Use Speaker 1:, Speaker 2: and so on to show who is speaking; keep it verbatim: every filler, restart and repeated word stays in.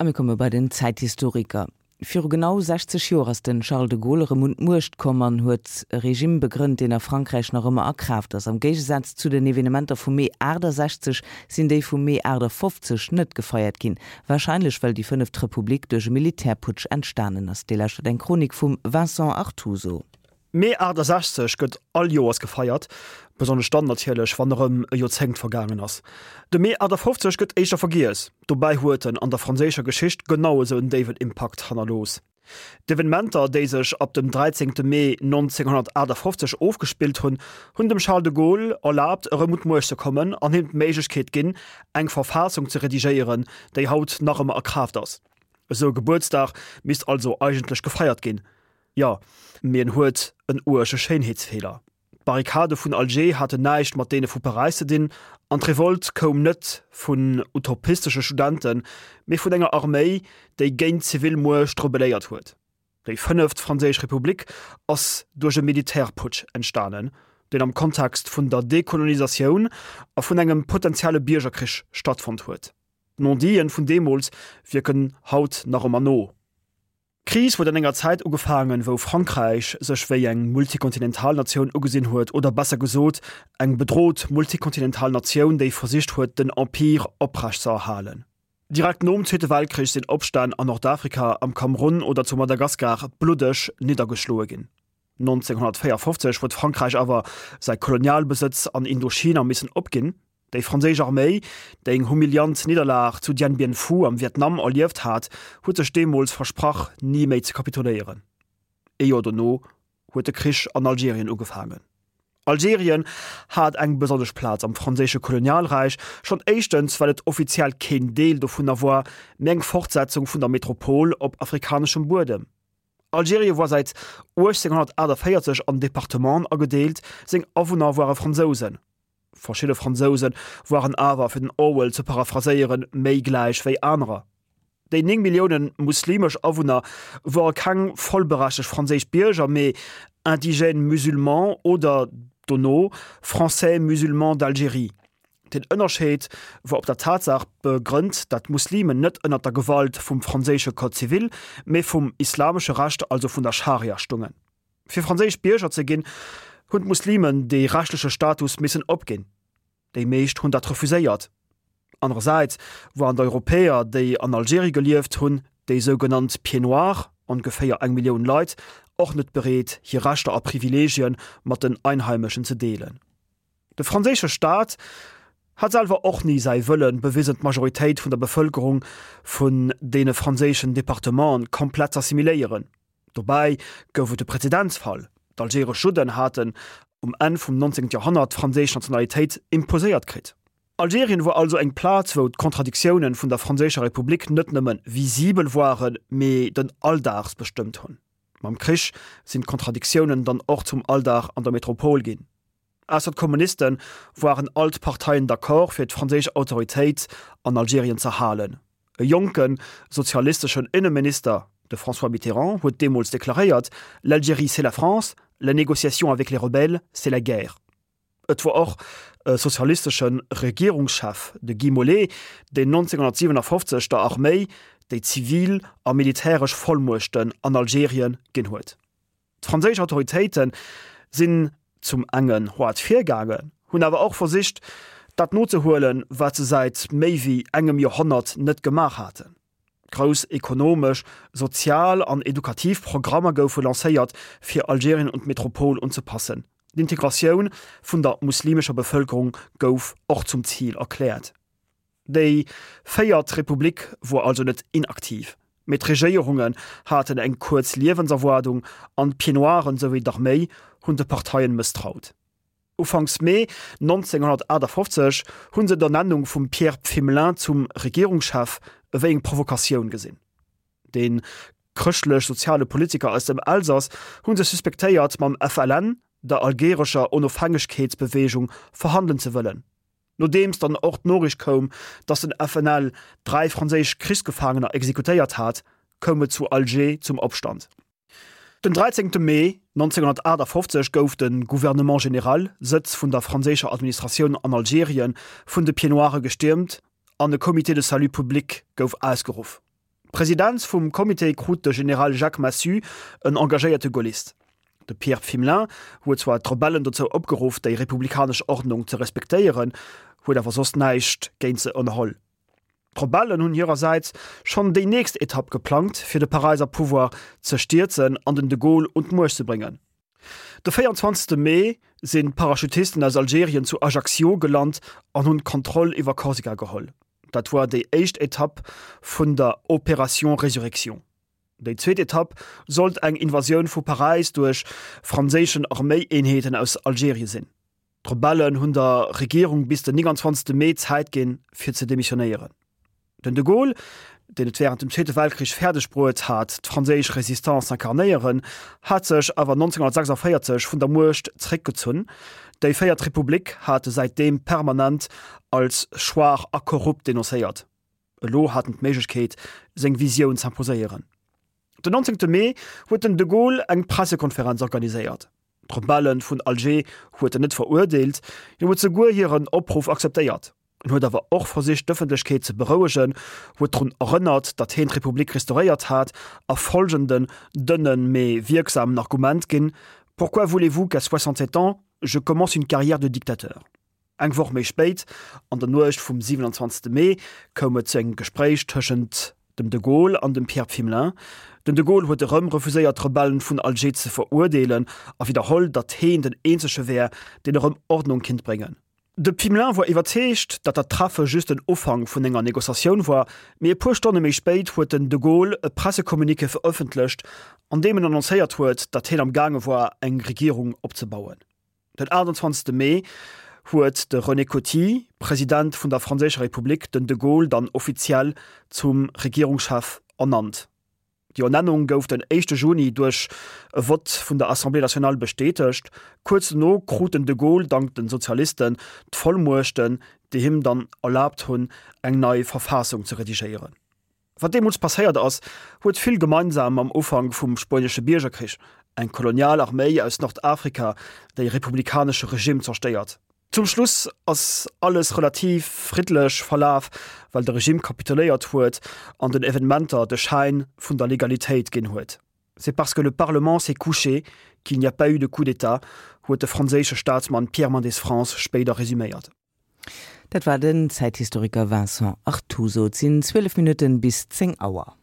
Speaker 1: A mir komme bei den Zäithistoriker. Viru genau sechzeg Joer ass den Charles de Gaulle erëm un d'Muecht komm an huet e Regime begrënnt, deen a Frankräich nach ëmmer a Kraaft ass. Am Géigesaz zu den Evenementer vum Mee achtasechzeg sinn déi vum Mee achtafofzeg net gefeiert ginn, warscheinlech well déi fënneft Republik duerch e Militärputsch entstanen ass. Dir lauschtert eng Chronik vum Vincent Artuso.
Speaker 2: Mee achtasechzeg gëtt all Joers gefeiert, besonnesch dann natierlech, wann erëm e Joerzéngt vergaangen ass. De Mee achtafofzeg gëtt éischter vergiess, dobäi huet en an der franséischer Geschicht genau esou en déiwen Impakt hannerlooss. D'Evenementer, déi sech ab dem dräizéngte Mee nonzénghonnertachtafofzeg ofgespillt hunn, hunn dem Charles de Gaulle erlaabt, erëm un d'Muecht ze kommen an him d'Méiglechkeet ginn, eng Verfassung ze redigéieren, déi haut nach ëmmer a Kraaft ass. Esou e Gebuertsdag misst also eigentlech gefeiert ginn. Jo, mee en huet en uerge Schéinheetsfeeler. D'Barrikade vun Alger haten näischt mat deene vu Paräis ze dinn, an d'Revolt koum net vun utopistesche Studenten, mee vun enger Arméi, déi géint d'zivil Muecht rebelléiert huet. Déi Fënneft Franséisch Republik ass duerch e Militärputsch entstanen, deen am Kontext vun der Dekolonisatioun a vun engem potenzielle Biergerkrich stattfonnt huet. D'Non-diten vun deemools wierken haut nach ëmmer no. D'Kris huet an enger Zäit ugefaangen, wou Frankräich sech wéi eng multikontinental Natioun ugesinn huet, oder besser gesot, eng bedrot multikontinental Natioun, déi versicht huet, den Empire oprecht ze erhalen. Direkt nom Zweete Weltkrich sinn Opstänn an Nordafrika, am Kamerun oder zu Madagaskar bluddeg niddergeschloe ginn. nonzénghonnertvéierfofzeg huet Frankräich awer säi Kolonialbesëtz an Indochina missen opginn. Déi franséisch Arméi, déi eng humiliant Nidderlag zu Dien Bien Phu am Vietnam erlieft hat, huet sech deemools versprach, ni méi ze kapituléieren. Ee Joer dono huet de Krich an Algerien ugefaangen. Algerien hat eng besonnesch Plaz am franséische Kolonialräich, schonn éischtens well et offiziell keen Deel dovunner war, mee eng Fortsetzung vun der Metropol op afrikaneschem Buedem. Algerien war säit uechtzénghonnertaachtavéierzeg an Departementen agedeelt, seng Awunner ware Fransousen. Verschidde Fransouse waren awer, fir den Orwell ze paraphraséieren, méi gläich wéi anerer. Déi néng Millioune muslimesch Awunner ware keng vollberechtegt franséisch Bierger, mee indigènes musulmans oder, dono, Français musulmans d'Algérie. Den Ënnerscheed wor op der Tatsaach begrënnt, dat d'Muslimen net ënnert der Gewalt vum franséische Code civil, mee vum islamesche Recht, also vun der Scharia stungen. Fir franséisch Bierger ze ginn, hunn d'Muslimen dee rechtleche Status missen opginn. Déi meescht hunn dat refuséiert. Anerersäits waren d'Europäer, déi an Algerie gelieft hunn, déi sougenannt Pieds-noirs, ongeféier eng Millioun Leit, och net bereet, hir Rechter a Privileegien mat den Einheimeschen ze deelen. De franséische Staat hat selwer och ni säi Wëllen bewisen, d'Majoritéit vun der Bevëlkerung vun deene franséischen Departementen komplett z'assimiléieren. Dobäi gouf et e Präzedenzfall, D'algeresch Judden haten um Enn vum nonzéngte Joerhonnert d'franséisch Nationalitéit imposéiert kritt. Algerien wor also eng Plaz, wou d'Kontradiktiounen vun der franséischer Republik net nëmme visibel waren, mee den Alldags bestëmmt hunn. Mam Krich sinn d'Kontradiktiounen dann och zum Alldag an der Metropol ginn. Ausser d'Kommuniste waren all d'Parteien d'accord, fir d'franséisch Autoritéit an Algerien z'erhalen. E jonke sozialisteschen Inneminister, de François Mitterrand, huet deemools deklaréiert, L'Algérie, c'est la France, la négociation avec les rebelles, c'est la guerre. Et wor och e sozialistesche Regierungschef, de Guy Mollet, deen nonzénghonnertsiwenafofzeg der Arméi déi zivil a militäresch Vollmuechten an Algerien ginn huet. D'franséisch Autoritéite sinn zum engen hoart virgaangen, hunn awer och versicht, dat nozehuelen, wat se säit méi wéi engem Joerhonnert net gemaach haten. Grouss ekonomesch, sozial an edukativ Programmer goufe lancéiert, fir Algerien un d'Metropol unzepassen. D'Integratioun vun der muslimescher Bevëlkerung gouf och zum Zil erkläert. Déi véiert Republik wor also net inaktiv, mee d'Regéierungen haten eng kuerz Liewenserwaardung an d'Pieds-Noiren souwéi d'Arméi hunn de Parteien mësstraut. Ufanks Mee nonzénghonnertaachtafoffzeg hu se d'Ernennung vum Pierre Pfimlin zum Regierungschef ewéi eng Provokatioun gesinn. Dee chrëschtlech-soziale Politiker aus dem Elsass hu se suspektéiert, mam F L N, der algerescher Onofhängegkeetsbeweegung, verhandelen ze wëllen. Nodeems dann och d'Noriicht koum, datt den F N L dräi franséisch Krichsgefaangener exekutéiert hat, koum et zu Alger zum Opstand. Den dräizéngte Mee nonzénghonnertaachtafoffzeg gouf de Gouvernement général, Sëtz vun der franséischer Administratioun an Algerien, vun de Pieds-Noiren gestiermt an e Comité de salut public gouf ausgeruff. D'Presidenz vum Comité krut de General Jacques Massu, en engagéierte Gaullist. De Pierre Pfimlin huet zwar d'Rebellen dozou opgeruff, déi republikanesch Ordnung ze respektéieren, huet awer soss näischt géint se ënnerholl. D'Rebellen hunn hirersäits schonn déi nächst Etapp geplangt, fir de Paräiser Pouvoir ze stierzen an den de Gaulle un d'Muecht ze bréngen. De véierundzwanzegste Mee sinn d'Parachutisten aus Algerien zu Ajaccio gelant an hunn d'Kontroll iwwer Korsika geholl. Dat war déi éischt Etapp vun der Opération Résurrection. Déi zweet Etapp sollt eng Invasioun vu Paräis duerch franséischen Arméieenheeten aus Algerien sinn. D'Rebellen hunn der Regierung bis den nénganzwanzegste Mee Zäit ginn, fir ze demissionéieren. Den de Gaulle, deen et wärend dem Zweete Weltkrich fäerdeg bruet hat, d'franséisch Résistance z'incarnéieren, hat sech awer nonzénghunnertsechsundvéierzeg vun der Muecht zeréckgezunn. Déi Véiert Republik hat e säitdeem permanent als schwaach a korrupt denoncéiert. Elo hat en d'Méiglechkeet, seng Visioun z'imposéieren. Den nonzéngte Mee huet den de Gaulle eng Pressekonferenz organiséiert. D'Rebelle vun Alger huet en net verurdeelt, hien huet souguer hiren Opruff akzeptéiert. En huet awer och versicht d'Ëffentlechkeet ze berouegen, huet drun erënnert, datt hien d'Republik restauréiert hat a folgenden dënnen, mee wierksamen Argument ginn, Pourquoi voulez-vous qu'à soixante-sept ans, je commence une carrière de dictateur? Eng Woch méi spéit, an der Nuecht vum siwenanzwanzegste Mee, koum et zu engem Gespréich tëschent dem de Gaulle an dem Pierre Pfimlin. Den de Gaulle huet erëm refuséiert d'Rebellen vun Alger ze verurdeelen a widderholl, datt heen den eenzege wär, deen erëm Ordnung kinnt bréngen. De Pfimlin war iwwerzeegt, datt dat Treffe just den Ufank vun enger Negociatioun war, mee e puer Stonne méi spéit huet den de Gaulle e Pressecommuniqué verëffentlecht, an deem en annoncéiert huet, datt hien am gaange war, eng Regierung opzebauen. Den aachtundzwanzegste Mee huet de René Coty, President vun der Franséischer Republik, den de Gaulle dann offiziell zum Regierungschef ernannt. Déi Ernennung gouf den éischte Juni duerch e Vott vun der Assemblée nationale bestätegt. Kuerz dono krut den de Gaulle dank den Sozialisten d'Vollmuechten, déi him dann erlaabt hunn, eng nei Verfassung ze redigéieren. Wat deemools passéiert ass, huet vill gemeinsam mam Ufank vum Spuenesche Biergerkrich, eng kolonial Arméi aus Nordafrika, déi e republikanesche Regimm zerstéiert. Zum Schluss ass alles relativ friddlech verlaf, well de Regimm kapituléiert huet an den Evenementer de Schäin vun der Legalitéit ginn huet. C'est parce que le Parlement s'est couché qu'il n'y a pas eu de coup d'État, huet de franséische Staatsmann Pierre Mendès France spéider resuméiert.
Speaker 1: Dat war den Zäithistoriker Vincent Artuso. Et sinn zwielef Minutten bis zéng Auer.